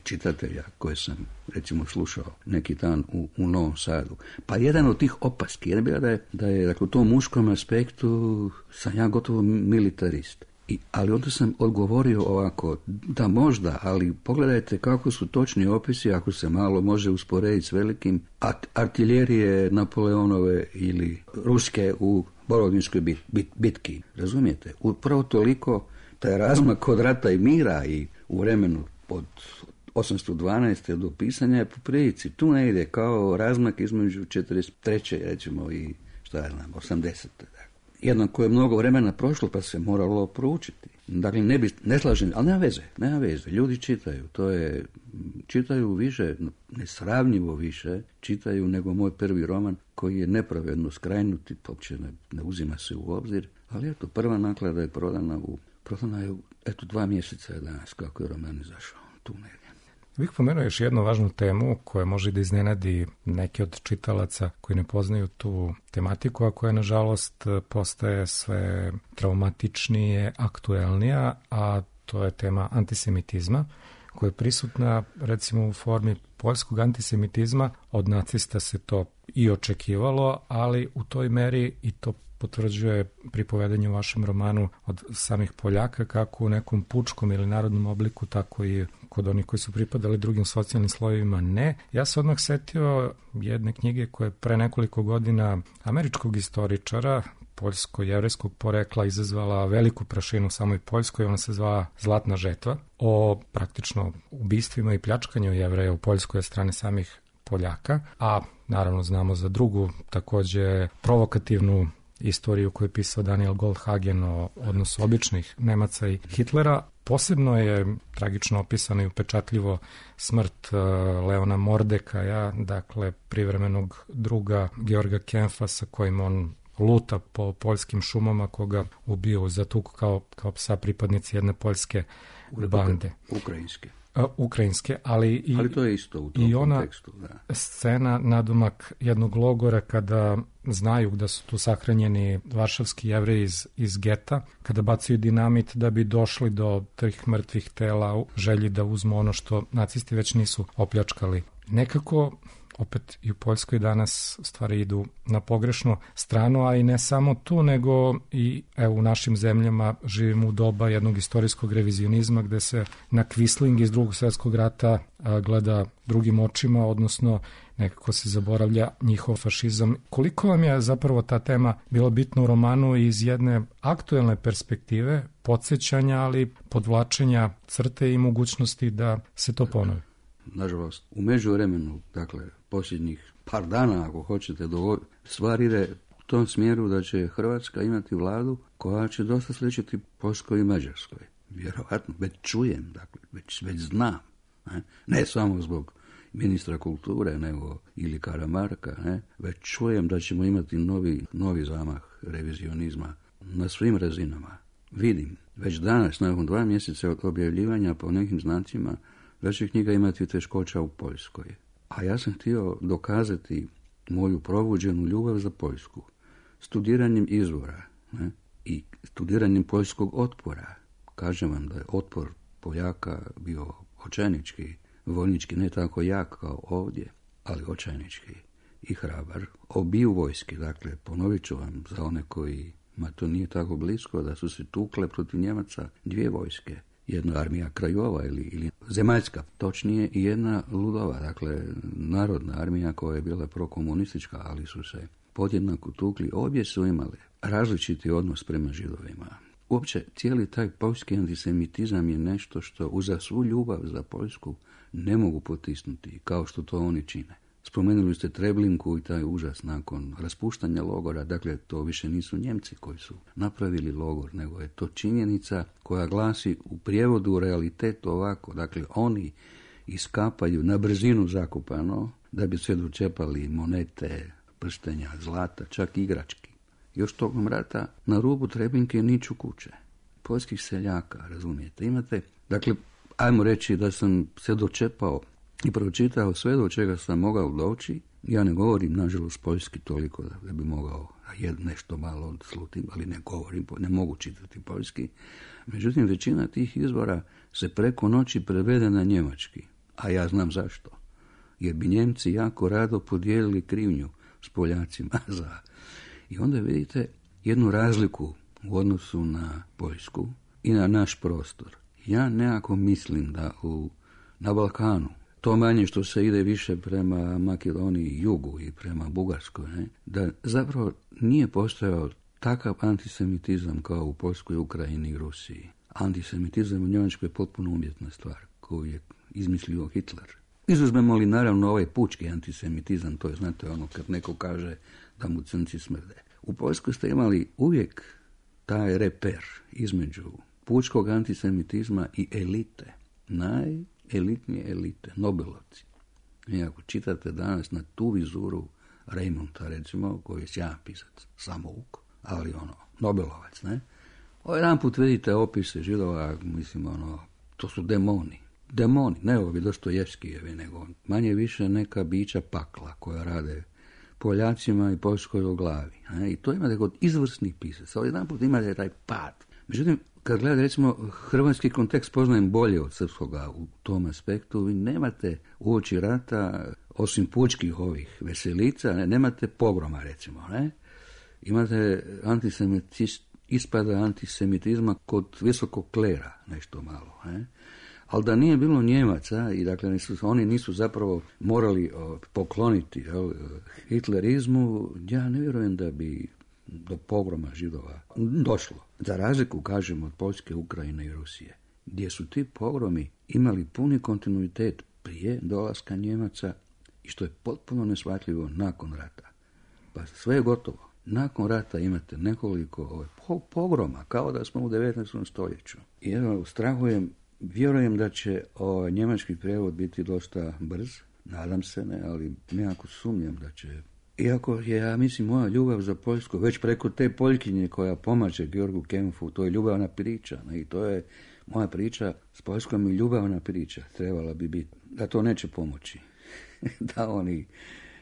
čitatelja koje sam, recimo, slušao neki dan u Novom Sadu. Pa jedan od tih opaski je bila da je dakle, u tom muškom aspektu sam ja gotovo militarist. Ali onda sam odgovorio ovako, da možda, ali pogledajte kako su točni opisi, ako se malo može usporediti s velikim artiljerije Napoleonove ili ruske u Borodinskoj bitki. Razumijete? Upravo toliko taj razmak od rata i mira i u vremenu od 812. do pisanja je po prilici. Tu ne ide kao razmak između 43. recimo i 80. Jednako je mnogo vremena prošlo pa se moralo proučiti. Dakle, ne slažem, ali nema veze. Ljudi čitaju više, nesravnjivo više čitaju nego moj prvi roman koji je nepravedno skrajnut i uopće ne uzima se u obzir. Ali eto, prva naklada je prodana je 2 mjeseca je danas kako je roman izašao. Tu negdje. Bih pomenuo još jednu važnu temu koja može da iznenadi neke od čitalaca koji ne poznaju tu tematiku, a koja nažalost postaje sve traumatičnije, aktuelnija, a to je tema antisemitizma, koja je prisutna recimo u formi poljskog antisemitizma. Od nacista se to i očekivalo, ali u toj meri, i to potvrđuje pripovedanje u vašem romanu od samih Poljaka, kako u nekom pučkom ili narodnom obliku, tako i kod onih koji su pripadali drugim socijalnim slojevima ne. Ja se odmah setio jedne knjige koja je pre nekoliko godina američkog istoričara poljsko-jevrejskog porekla izazvala veliku prašinu u samoj Poljskoj. Ona se zvala Zlatna žetva, o praktično ubistvima i pljačkanju Jevreja u Poljskoj od strane samih Poljaka, a naravno znamo za drugu takođe provokativnu istoriju koju je pisao Daniel Goldhagen o odnosu običnih Nemaca i Hitlera. Posebno je tragično opisano i upečatljivo smrt Leona Mordekaja, dakle privremenog druga Georga Kempfa sa kojim on luta po poljskim šumama, koga ubio za tuku kao psa pripadnici jedne poljske bande. Ukrajinske, ali to je isto u tom kontekstu. Da. Scena nadomak jednog logora kada znaju da su tu sahranjeni varšavski Jevreji iz geta, kada bacaju dinamit da bi došli do tih mrtvih tela u želji da uzmu ono što nacisti već nisu opljačkali. Nekako opet i u Poljskoj danas stvari idu na pogrešnu stranu, a i ne samo tu, nego i u našim zemljama živimo u doba jednog istorijskog revizionizma gde se na Quisling iz Drugog svjetskog rata gleda drugim očima, odnosno nekako se zaboravlja njihov fašizam. Koliko vam je zapravo ta tema bila bitna u romanu iz jedne aktuelne perspektive, podsjećanja, ali podvlačenja crte i mogućnosti da se to ponovi? Nažalost, u međuvremenu, dakle, posljednjih par dana, ako hoćete, stvar ide u tom smjeru da će Hrvatska imati vladu koja će dosta sličiti Poljskoj i Mađarskoj. Vjerovatno, već čujem, dakle, već znam. Ne samo zbog ministra kulture, nego ili Karamarka, već čujem da ćemo imati novi zamah revizionizma na svim razinama. Vidim, već danas, nakon 2 mjeseca od objavljivanja po nekim znacima, da će knjiga imati teškoća u Poljskoj. A ja sam htio dokazati moju probuđenu ljubav za Poljsku studiranjem izvora i studiranjem poljskog otpora. Kažem vam da je otpor Poljaka bio očajnički vojnički ne tako jak kao ovdje, ali očajnički i hrabar. Obiju vojske, dakle, ponovit ću vam za one kojima to nije tako blisko, da su se tukle protiv Njemaca dvije vojske. Jedna armija Krajova ili zemaljska, točnije, i jedna Ludova, dakle, narodna armija koja je bila prokomunistička, ali su se podjednako tukli. Obje su imale različiti odnos prema Židovima. Uopće, cijeli taj poljski antisemitizam je nešto što uza svu ljubav za Poljsku ne mogu potisnuti, kao što to oni čine. Spomenuli ste Treblinku i taj užas nakon raspuštanja logora, dakle to više nisu Njemci koji su napravili logor, nego je to činjenica koja glasi u prijevodu realitetu ovako, dakle oni iskapaju na brzinu zakopano da bi se dočepali monete, prstenja, zlata, čak igrački. Još tokom rata na rubu Treblinke niču kuće. Poljskih seljaka, razumijete, imate, dakle, ajmo reći da sam se dočepao i pročitao sve do čega sam mogao doći. Ja ne govorim, nažalost, poljski toliko da bi mogao nešto malo odslutim, ali ne mogu čitati poljski. Međutim, većina tih izvora se preko noći prevede na njemački. A ja znam zašto. Jer bi Njemci jako rado podijelili krivnju s Poljacima za... I onda vidite jednu razliku u odnosu na Poljsku i na naš prostor. Ja nekako mislim da na Balkanu, to manje što se ide više prema Makedoniji i jugu i prema Bugarskoj, da zapravo nije postojao takav antisemitizam kao u Poljskoj, Ukrajini i Rusiji. Antisemitizam u Njemačkoj je potpuno umjetna stvar koju je izmislio Hitler. Izuzmemo li naravno ovaj pučki antisemitizam, to je, znate, ono kad neko kaže da mu crnci smrde. U Poljskoj ste imali uvijek taj reper između pučkog antisemitizma i elite, najelitnije elite, Nobelovci. I ako čitate danas na tu vizuru Reymonta, recimo, koji je sjajan pisac, samouk, ali Nobelovac, ne? Jedan put vidite opise Židova, mislim, to su demoni. Demoni, ne ovi Dostojevskijevi, nego manje više neka bića pakla koja rade Poljacima i Poljskoj o glavi. I to imate kod izvrsnih pisaca. Ali jedan put imate taj pad. Međutim, kad gledate, recimo, hrvatski kontekst poznajem bolje od srpskoga u tom aspektu, vi nemate uoči rata, osim pučkih ovih veselica, nemate pogroma, recimo, ne? Imate ispada antisemitizma kod visokog klera, nešto malo, ne? Ali da nije bilo Njemaca i dakle oni nisu zapravo morali pokloniti hitlerizmu, ja ne vjerujem da bi do pogroma Židova došlo. Za razliku, kažem, od Poljske, Ukrajine i Rusije, gdje su ti pogromi imali puni kontinuitet prije dolaska Njemaca i što je potpuno neshvatljivo nakon rata. Pa sve je gotovo. Nakon rata imate nekoliko pogroma, kao da smo u 19. stoljeću. I evo, vjerujem da će njemački prijevod biti dosta brz, nadam se, ne, ali nekako sumnjam da će. Iako je, ja mislim, moja ljubav za Poljsku, već preko te Poljkinje koja pomaže Georgu Kempfu, to je ljubavna priča, ne, i to je moja priča s Poljskom i ljubavna priča, trebala bi biti, da to neće pomoći, da oni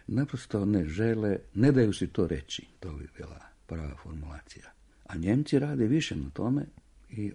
naprosto ne žele, ne daju si to reći, to bi bila prava formulacija. A Njemci rade više na tome, i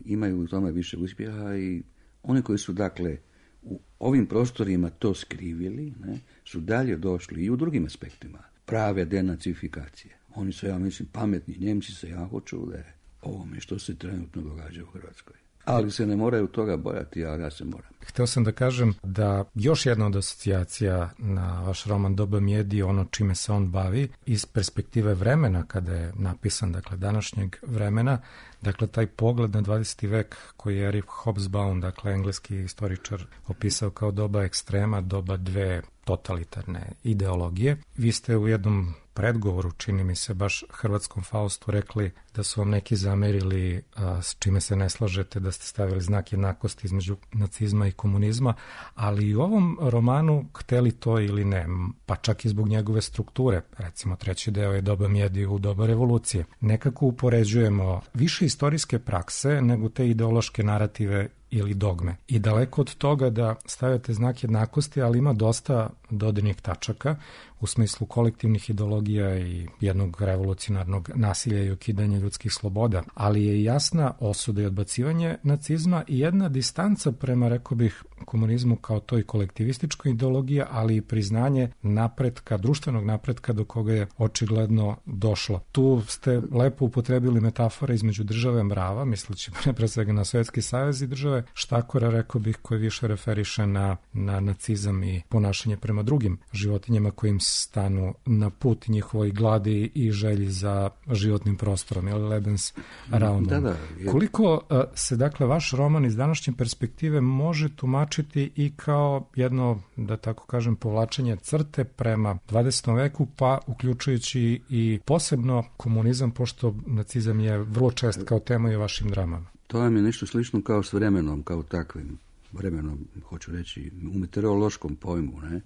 imaju u tome više uspjeha i oni koji su, dakle, u ovim prostorima to skrivili, ne, su dalje došli i u drugim aspektima prave denacifikacije. Oni su, ja mislim, pametni Njemci se jako čude ovome što se trenutno događa u Hrvatskoj. Ali se ne moraju toga bojati, ali ja se moram. Htio sam da kažem da još jedna od asocijacija na vaš roman Doba mjedi, ono čime se on bavi, iz perspektive vremena kada je napisan, dakle današnjeg vremena, dakle taj pogled na 20. vek koji je Eric Hobsbawm, dakle engleski istoričar, opisao kao doba ekstrema, doba dve totalitarne ideologije. Vi ste u jednom predgovoru, čini mi se, baš hrvatskom Faustu rekli da su vam neki zamerili, s čime se ne slažete, da ste stavili znak jednakosti između nacizma i komunizma, ali i u ovom romanu, hteli to ili ne, pa čak i zbog njegove strukture, recimo treći deo je Doba mjedi u doba revolucije, nekako upoređujemo više istorijske prakse nego te ideološke narative ili dogme. I daleko od toga da stavljate znak jednakosti, ali ima dosta dodirnih tačaka u smislu kolektivnih ideologija i jednog revolucionarnog nasilja i ukidanja ljudskih sloboda, ali je jasna osuda i odbacivanje nacizma i jedna distanca prema, rekao bih, komunizmu kao toj kolektivističkoj ideologiji, ali i priznanje napretka, društvenog napretka do koga je očigledno došlo. Tu ste lepo upotrebili metafore između države mrava, misleći pre svega na Sovjetski savez, i države štakora, rekao bih, koji više referiše na nacizam i ponašanje prema drugim životinjama kojim stanu na put njihovoj gladi i želji za životnim prostorom, ili Lebensraumom. Da. Koliko se, dakle, vaš roman iz današnje perspektive može tumačiti i kao jedno, da tako kažem, povlačenje crte prema 20. veku, pa uključujući i posebno komunizam, pošto nacizam je vrlo čest kao tema i u vašim dramama? To vam je nešto slično kao s vremenom, kao takvim vremenom, hoću reći, u meteorološkom pojmu. Ne?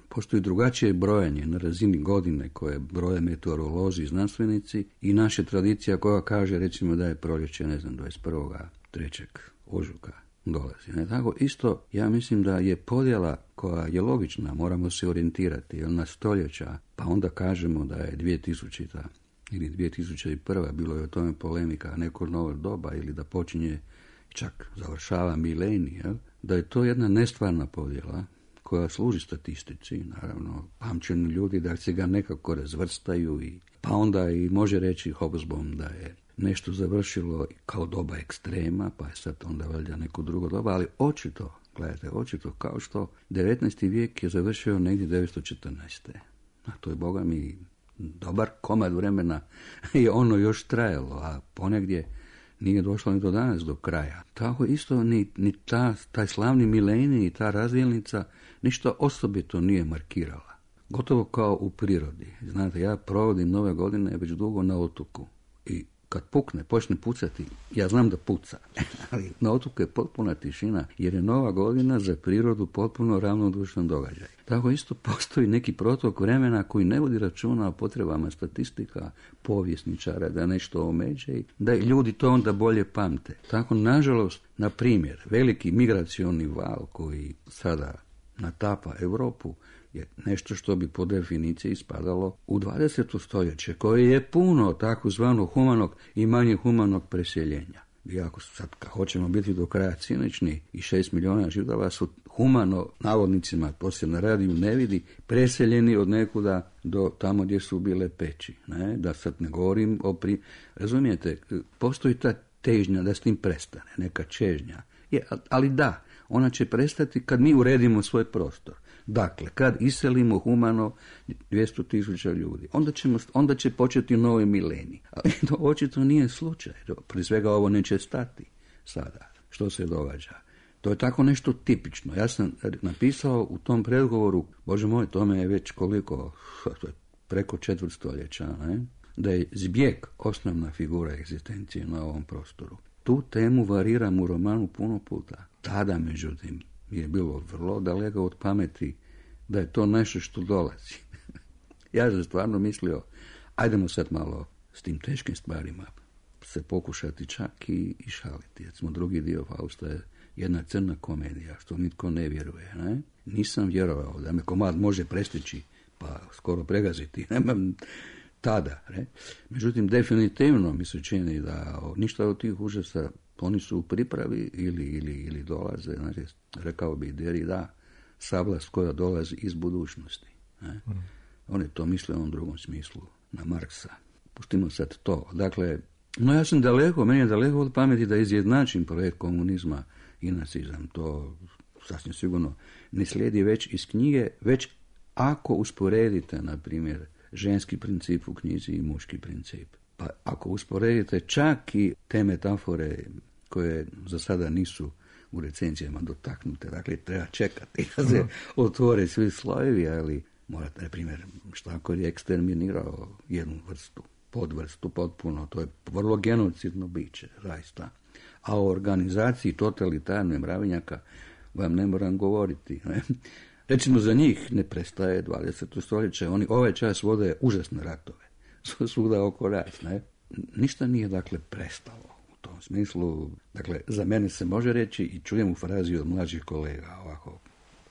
Postoji drugačije brojanje na razini godine koje broje meteorolozi i znanstvenici i naša tradicija koja kaže, recimo, da je proljeće, 21.3. ožujka dolazi. Ne? Tako isto, ja mislim da je podjela koja je logična, moramo se orijentirati na stoljeća, pa onda kažemo da je 2000. ili 2001. bilo je o tome polemika, neko novo doba, ili da počinje, čak završava milenij, da je to jedna nestvarna podjela koja služi statistici, naravno, pamćeni ljudi da se ga nekako razvrstaju, pa onda i može reći Hobsbawm da je nešto završilo kao doba ekstrema, pa je sad onda valjda neko drugo doba, ali očito kao što 19. vijek je završio negdje 1914. A to je, boga mi, dobar komad vremena je ono još trajalo, a ponegdje nije došlo ni do danas do kraja. Tako isto ni taj slavni milenij i ta razdjelnica ništa osobito nije markirala. Gotovo kao u prirodi. Znate, ja provodim nove godine već dugo na otoku i kad pukne, počne pucati, ja znam da puca, ali na otoku je potpuna tišina, jer je nova godina za prirodu potpuno ravnodušan događaj. Tako isto postoji neki protok vremena koji ne vodi računa o potrebama statistika, povjesničara, da nešto omeđe i da ljudi to onda bolje pamte. Tako, nažalost, na primjer, veliki migracioni val koji sada natapa Europu je nešto što bi po definiciji spadalo u 20. stoljeće, koje je puno takozvanog humanog i manje humanog preseljenja. I ako sad hoćemo biti do kraja cinični, i 6 milijuna Židova su humano, navodnicima, to se na radiju ne vidi, preseljeni od nekuda do tamo gdje su bile peći. Ne? Da sad ne govorim o Razumijete, postoji ta težnja da s tim prestane, neka čežnja. Ali da, ona će prestati kad mi uredimo svoj prostor. Dakle, kad iselimo humano 200.000 ljudi, onda će početi novi milenij. Ali to očito nije slučaj. Prije svega ovo neće stati sada. Što se događa? To je tako nešto tipično. Ja sam napisao u tom predgovoru, Bože moj, tome je već koliko, preko 4 stoljeća, ne? Da je zbjeg osnovna figura egzistencije na ovom prostoru. Tu temu variram u romanu puno puta. Tada, međutim, je bilo vrlo daleko od pameti da je to nešto što dolazi. Ja sam stvarno mislio, ajdemo sad malo s tim teškim stvarima se pokušati čak i šaliti. Recimo, drugi dio Fausta je jedna crna komedija, što nitko ne vjeruje. Ne? Nisam vjerovao da me komad može prestići, pa skoro pregaziti. Nemam tada. Ne? Međutim, definitivno mi se čini da ništa od tih užasa oni su u pripravi ili dolaze, znači, rekao bi Derrida, sablast koja dolazi iz budućnosti. Ne? On je to mislio u onom drugom smislu, na Marksa. Pustimo sad to. Dakle, no ja sam meni je daleko od pameti da izjednačim projekt komunizma i nacizam. To sasvim sigurno ne slijedi već iz knjige, već ako usporedite, na primjer, ženski princip u knjizi i muški princip. Pa ako usporedite čak i te metafore koje za sada nisu u recenzijama dotaknute, dakle treba čekati da se otvore svi slojevi, ali morate, na primjer, Štakor je eksterminirao jednu podvrstu potpuno, to je vrlo genocidno biće, zaista. A o organizaciji totalitarne mravinjaka vam ne moram govoriti. Ne? Recimo, za njih ne prestaje 20. stoljeće, oni ovaj čas vode užasne ratove, svuda oko nas. Ne? Ništa nije, dakle, prestalo u tom tom smislu, dakle, za mene se može reći i čujem u frazi od mlađih kolega ovako.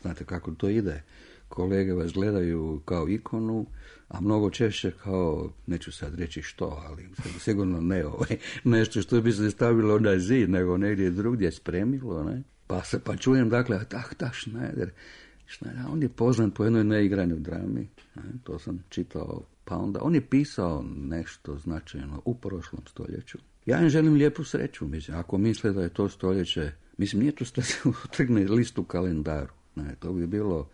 Znate kako to ide? Kolege vas gledaju kao ikonu, a mnogo češće kao, neću sad reći što, ali sigurno ne nešto što bi se stavilo na zid, nego negdje drugdje spremilo, ne? Pa čujem, dakle, Schneider, on je poznat po jednoj neigranoj drami, ne? To sam čitao, pa onda on je pisao nešto značajno u prošlom stoljeću. Ja im želim lijepu sreću, mislim, ako misle da je to stoljeće, mislim, nije to trgne list u kalendaru, ne? To bi bilo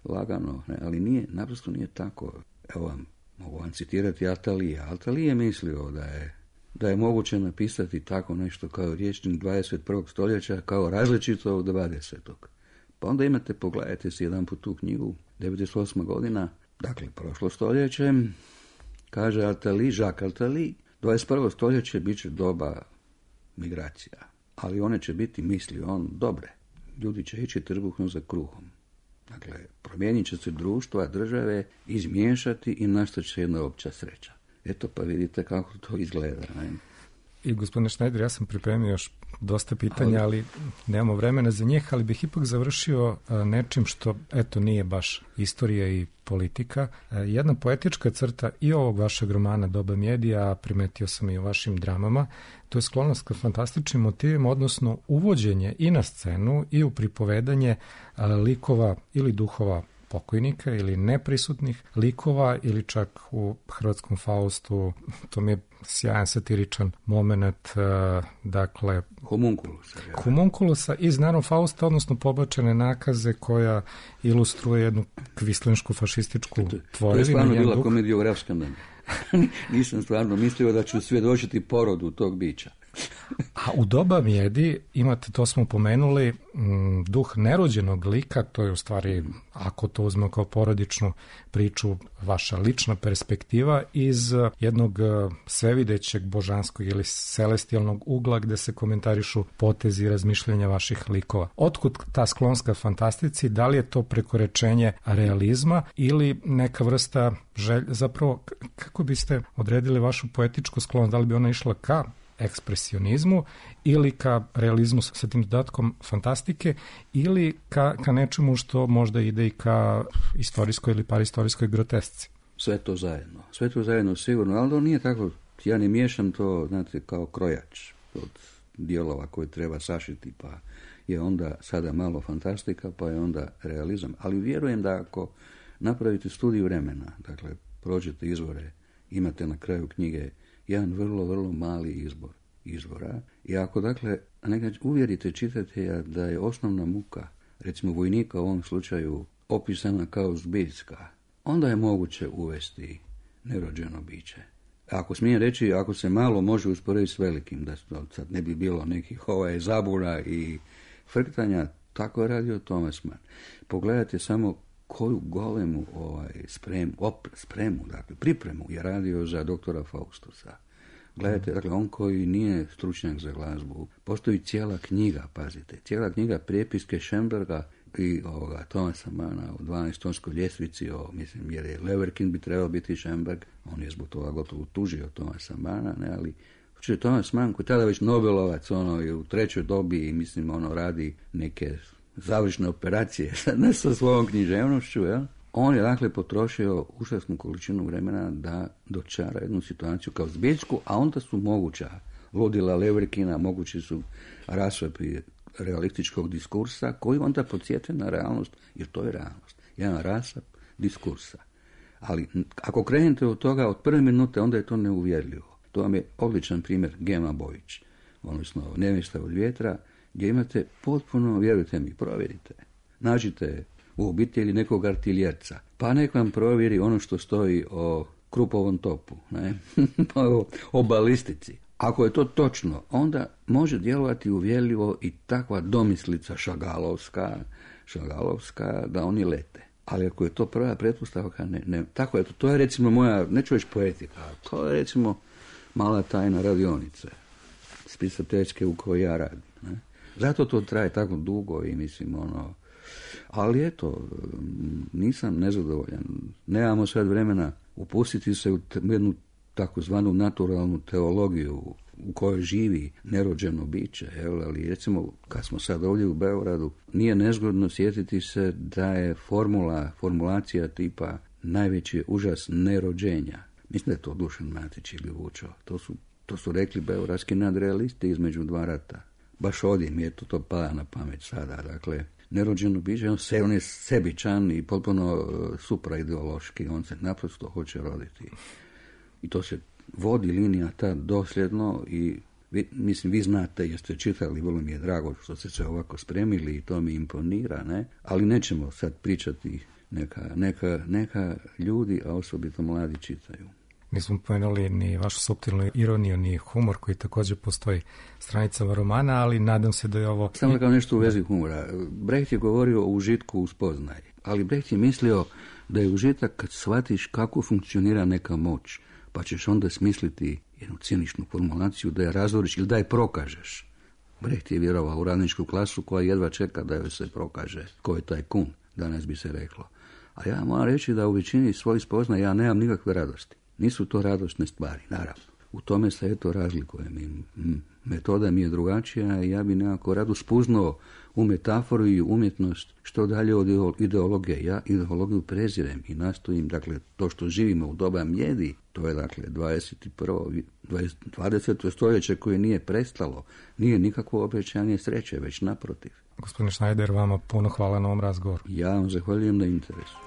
lagano, ne? Ali nije, naprosto nije tako. Evo vam, mogu vam citirati Atalija. Atalija je mislio da je moguće napisati tako nešto kao rječnik 21. stoljeća, kao različito od 20. Pa onda imate, pogledajte si jedan put tu knjigu, 98. godina, dakle, prošlo stoljeće, kaže Jacques Attali, 21. stoljeće bit će doba migracija, ali one će biti, misli on, dobre. Ljudi će ići trbuhom za kruhom. Dakle, promijenit će se društva, države, izmiješati i nastat će jedna opća sreća. Eto, pa vidite kako to izgleda. Ne? I gospodine Schneider, ja sam pripremio još dosta pitanja, ali nemamo vremena za njih, ali bih ipak završio nečim što, eto, nije baš istorija i politika. Jedna poetička crta i ovog vašeg romana Doba Mjedija, primetio sam i u vašim dramama, to je sklonost ka fantastičnim motivima, odnosno uvođenje i na scenu i u pripovedanje likova ili duhova pokojnika ili neprisutnih likova ili čak u hrvatskom Faustu, to mi je sjajan satiričan moment, dakle homunkulusa iz naravno Fausta, odnosno pobačene nakaze koja ilustruje jednu kvislinsku fašističku tvorevinu. To je stvarno bila komediografska mene. Nisam stvarno mislio da ću svjedočiti porodu tog bića. A u Doba Mjedi imate, to smo pomenuli, duh nerođenog lika, to je u stvari, ako to uzmemo kao porodičnu priču, vaša lična perspektiva iz jednog svevidećeg božanskog ili celestijalnog ugla gde se komentarišu potezi i razmišljanja vaših likova. Otkud ta sklonska fantastici, da li je to prekoračenje realizma ili neka vrsta zapravo, kako biste odredili vašu poetičku sklonost, da li bi ona išla ka ekspresionizmu ili ka realizmu sa tim dodatkom fantastike ili ka nečemu što možda ide i ka istorijskoj ili paristorijskoj grotesci. Sve to zajedno sigurno, ali to nije tako, ja ne miješam to, znate, kao krojač od dijelova koje treba sašiti, pa je onda sada malo fantastika, pa je onda realizam, ali vjerujem da ako napravite studiju vremena, dakle, prođete izvore, imate na kraju knjige jedan vrlo, vrlo mali izvora. I ako, dakle, uvjerite čitatelja da je osnovna muka, recimo vojnika u ovom slučaju, opisana kao zbiljska, onda je moguće uvesti nerođeno biće. Ako smijem reći, ako se malo može usporediti s velikim, da sad ne bi bilo nekih zabuna i frktanja, tako je radio Thomas Mann. Pogledajte samo koju golemu spremu, dakle, pripremu je radio za doktora Faustusa. Gledajte, dakle, on koji nije stručnjak za glazbu, postoji cijela knjiga, pazite, cijela knjiga prijepiske Schoenberga i Thomasa Manna o 12-tonskoj ljestvici, mislim, jer je Leverkin bi trebao biti Schoenberg, on je zbog toga gotovo tužio Thomasa Manna, ne, ali Thomas Mann, koji tada već Nobelovac, je u trećoj dobi i mislim, radi neke završne operacije sa svojom književnošću, ja? On je, dakle, potrošio užasnu količinu vremena da dočara jednu situaciju kao zbiljsku, a onda su moguća ludila Leverkina, mogući su rasvapi realističkog diskursa, koji onda podsjete na realnost, jer to je realnost. Jedan rasap diskursa. Ali ako krenete od toga, od prve minute, onda je to neuvjerljivo. To vam je odličan primjer Gema Bojić, odnosno Nevjesta od vjetra, gdje imate potpuno, vjerujte mi, provjerite. Nađite u obitelji nekog artiljerca, pa nek vam provjeri ono što stoji o Krupovom topu, ne? O balistici. Ako je to točno, onda može djelovati uvjerljivo i takva domislica šagalovska da oni lete. Ali ako je to prva pretpostavka, ne. Tako je to je recimo moja, neću reći poetika, to je recimo mala tajna radionice, spisateljske u kojoj ja radim. Ne? Zato to traje tako dugo i mislim, ali eto, nisam nezadovoljan. Nemamo sad vremena upustiti se u jednu takozvanu naturalnu teologiju u kojoj živi nerođeno biće, jel? Ali recimo kad smo sad ovdje u Beogradu, nije nezgodno sjetiti se da je formulacija tipa najveći je užas nerođenja. Mislim da je to Dušan Matić ili Vučo. To su rekli beogradski nadrealisti između dva rata. Baš ovdje mi je to pada na pamet sada. Dakle, nerođeno biće, on je sebičan i potpuno supraideološki, on se naprosto hoće roditi. I to se vodi linija ta dosljedno i vi znate, jeste čitali, vrlo mi je drago što ste se ovako spremili i to mi imponira, ne? Ali nećemo sad pričati, neka ljudi, a osobito mladi čitaju. Nismo pomenuli ni vašu suptilnu ironiju, ni humor koji također postoji stranicama romana, ali nadam se da je ovo... Samo kao nešto u vezi humora. Brecht je govorio o užitku u spoznaji, ali Brecht je mislio da je užitak kad shvatiš kako funkcionira neka moć, pa ćeš onda smisliti jednu ciničnu formulaciju da je razoriš ili da je prokažeš. Brecht je vjerovao u radničku klasu koja jedva čeka da joj se prokaže ko je taj kun, danas bi se reklo. A ja moram reći da u većini svojih spoznaja ja nemam nikakve radosti. Nisu to radosne stvari, naravno. U tome se eto razlikujem. Metoda mi je drugačija i ja bi nekako rado spuznao u metaforu i umjetnost što dalje od ideologije. Ja ideologiju prezirem i nastojim, dakle, to što živimo u doba mjedi, to je dakle 20. stoljeće koje nije prestalo, nije nikakvo obećanje sreće, već naprotiv. Gospodine Schneider, vama puno hvala na ovom razgovoru. Ja vam zahvaljujem na interesu.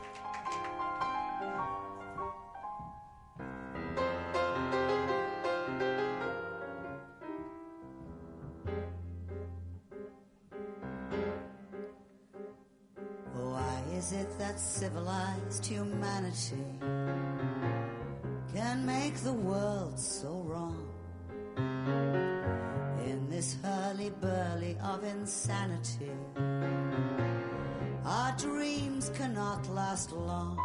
Is it that civilized humanity can make the world so wrong? In this hurly-burly of insanity, our dreams cannot last long.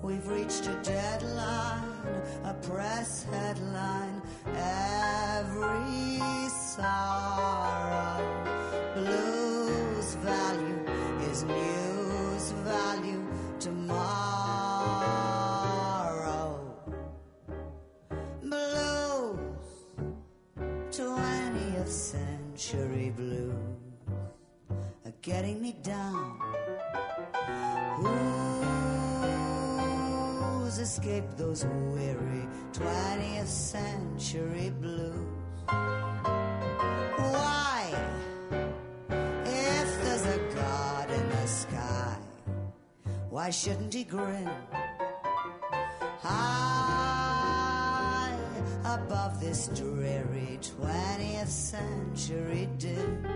We've reached a deadline, a press headline, every sorrow, blues value is news value tomorrow. Blues, 20th century blues are getting me down. Who's escaped those weary 20th century blues? Why? If there's a God in the sky, why shouldn't he grin high above this dreary 20th century din?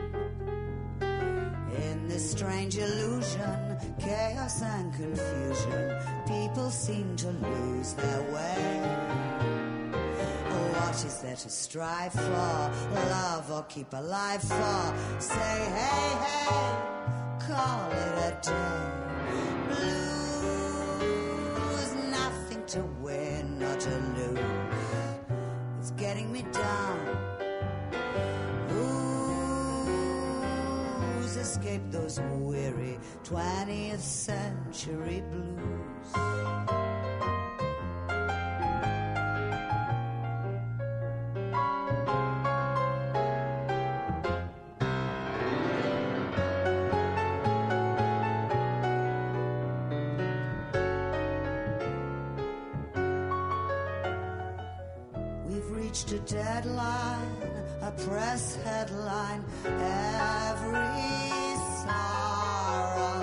In this strange illusion, chaos and confusion, people seem to lose their way. What is there to strive for? Love or keep alive for? Say hey, hey, call it a day. Blues, nothing to win or to lose. It's getting me down. Who's escaped those weary 20th century blues? A deadline, a press headline, every sorrow,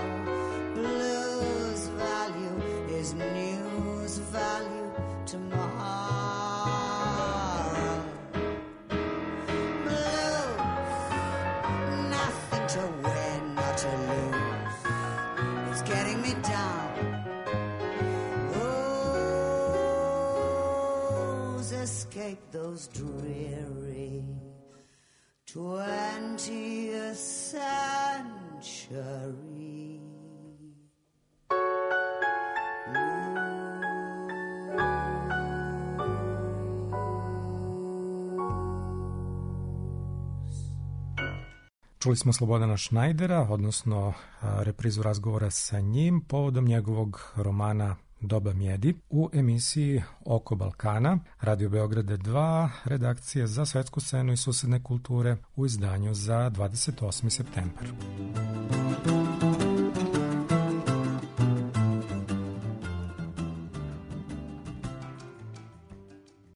blues value is news value tomorrow. Blues, nothing to win or to lose, it's getting me down. Escape those dreary 20th century. Čuli smo Slobodana Schneidera, odnosno reprizu razgovora sa njim povodom njegovog romana Doba mjedi u emisiji Oko Balkana, Radio Beograda 2, redakcije za svetsku scenu i susedne kulture u izdanju za 28. septembar.